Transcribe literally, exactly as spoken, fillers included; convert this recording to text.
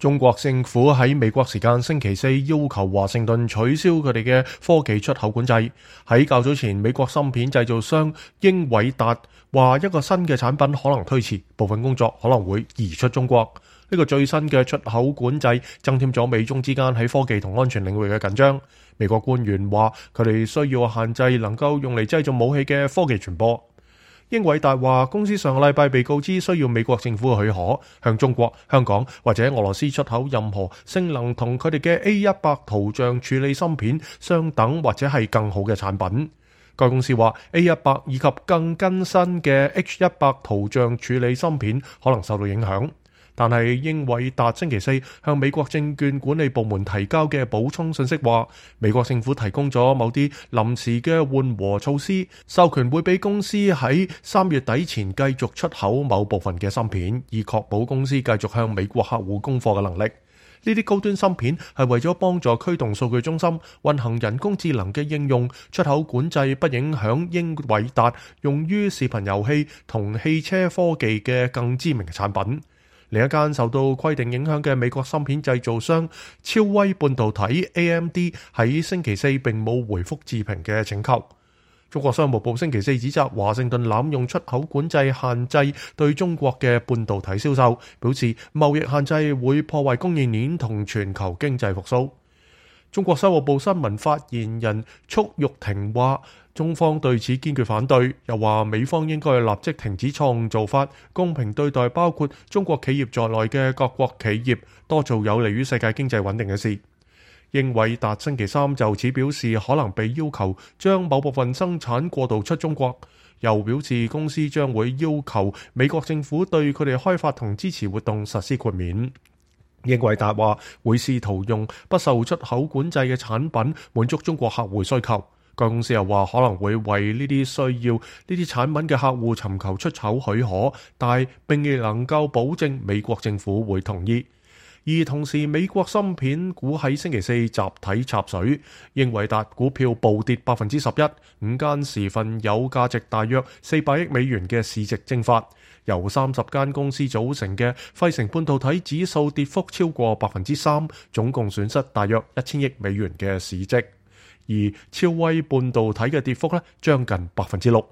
中國政府喺美國時間星期四要求華盛頓取消佢哋嘅科技出口管制。喺較早前，美國芯片製造商英偉達話一個新嘅產品可能推遲，部分工作可能會移出中國。呢個最新嘅出口管制增添咗美中之間喺科技同安全領域嘅緊張。美國官員話佢哋需要限制能夠用嚟製造武器嘅科技傳播。英偉達話公司上個禮拜被告知需要美國政府嘅許可，向中國、香港或者俄羅斯出口任何性能同佢哋嘅 A 一百 圖像處理芯片相等或者係更好嘅產品。該公司話 A 一百 以及更更新嘅 H 一百 圖像處理芯片可能受到影響。但係英偉達星期四向美國證券管理部門提交嘅補充信息話，美國政府提供咗某啲臨時嘅緩和措施，授權會俾公司喺三月底前繼續出口某部分嘅芯片，以確保公司繼續向美國客戶供貨嘅能力。呢啲高端芯片係為咗幫助驅動數據中心運行人工智能嘅應用，出口管制不影響英偉達用於視頻遊戲同汽車科技嘅更知名嘅產品。另一間受到規定影響嘅美國芯片製造商超威半導體 A M D 喺星期四並冇回覆置評嘅請求。中國商務部星期四指責華盛頓濫用出口管制限制對中國嘅半導體銷售，表示貿易限制會破壞供應鏈同全球經濟復甦。中國商務部新聞發言人束玉婷話，中方對此堅決反對，又話美方應該立即停止錯誤做法，公平對待包括中國企業在內嘅各國企業，多做有利於世界經濟穩定嘅事。英偉達星期三就此表示可能被要求將某部分生產過渡出中國，又表示公司將會要求美國政府對佢哋開發同支持活動實施豁免。英偉達話會試圖用不受出口管制嘅產品滿足中國客戶需求。該公司又話可能會為呢啲需要呢啲產品嘅客戶尋求出口許可，但並未能夠保證美國政府會同意。而同時，美國芯片股喺星期四集體插水，英偉達股票暴跌百分之十一，五間時份有價值大約四百億美元嘅市值蒸發。由三十間公司組成嘅費城半導體指數跌幅超過百分之三，總共損失大約一千億美元嘅市值。而超威半導體嘅跌幅咧，將近百分之六。